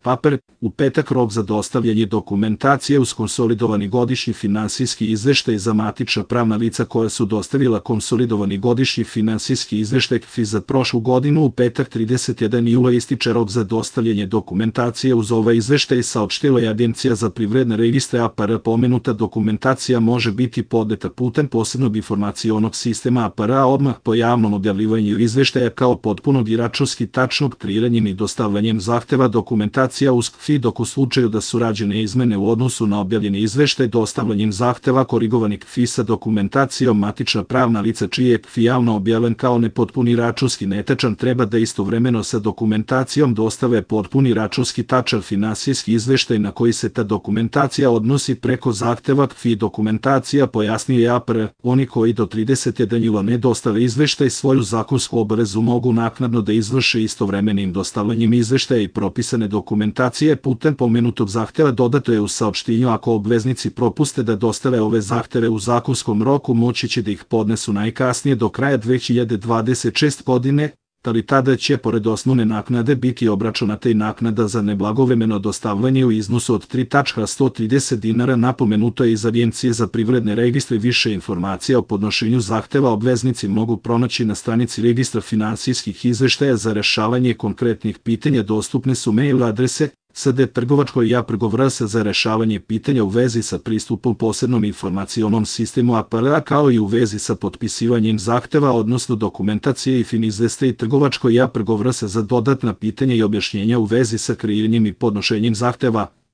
Papir, u petak rok za dostavljanje dokumentacije uz konsolidovani godišnji finansijski izveštaj za matična pravna lica koja su dostavila konsolidovani godišnji finansijski izveštaj KFI za prošlu godinu. U petak 31. jula ističe rok za dostavljanje dokumentacije uz ovaj izveštaj, saopštila je Agencija za privredne registre APR. Pomenuta dokumentacija može biti podneta putem posebnog informacionog sistema APR odmah po javnom objavljivanju izveštaja kao potpunog i računski tačnog kreiranjem i dostavljanjem zahteva dokumentacija uz KFI, dok u slučaju da su rađene izmene u odnosu na objavljeni izveštaj dostavljanjem zahteva korigovani KFI sa dokumentacijom matična pravna lica čiji je KFI javno objavljen kao nepotpuni računski netačan treba da istovremeno sa dokumentacijom dostave potpuni računski tačan finansijski izveštaj na koji se ta dokumentacija odnosi preko zahteva KFI dokumentacija, pojasnio je APR. Oni koji do 31. jula ne dostave izveštaj svoju zakonsku obavezu mogu naknadno da izvrše istovremenim dostavljanjem izveštaja i propisane dokumentacije putem pomenutog zahteva. Dodato je u saopštenju ako obveznici propuste da dostave ove zahteve u zakonskom roku moći će da ih podnesu najkasnije do kraja 2026. godine, ali tada će pored osnovne naknade biti obračunata i naknada za neblagovremeno dostavljanje u iznosu od 3.130 dinara. Napomenuto je iz Agencije za privredne registre. Više informacija o podnošenju zahteva obveznici mogu pronaći na stranici Registra finansijskih izveštaja. Za rešavanje konkretnih pitanja dostupne su mail adrese sd@trgovačko.ja.vrs za rešavanje pitanja u vezi sa pristupom posebnom informacionom sistemu APR, kao i u vezi sa potpisivanjem zahteva odnosno dokumentacije i finizveste i trgovačko.ja.vrs za dodatna pitanja i objašnjenja u vezi sa kreiranjem i podnošenjem zahteva.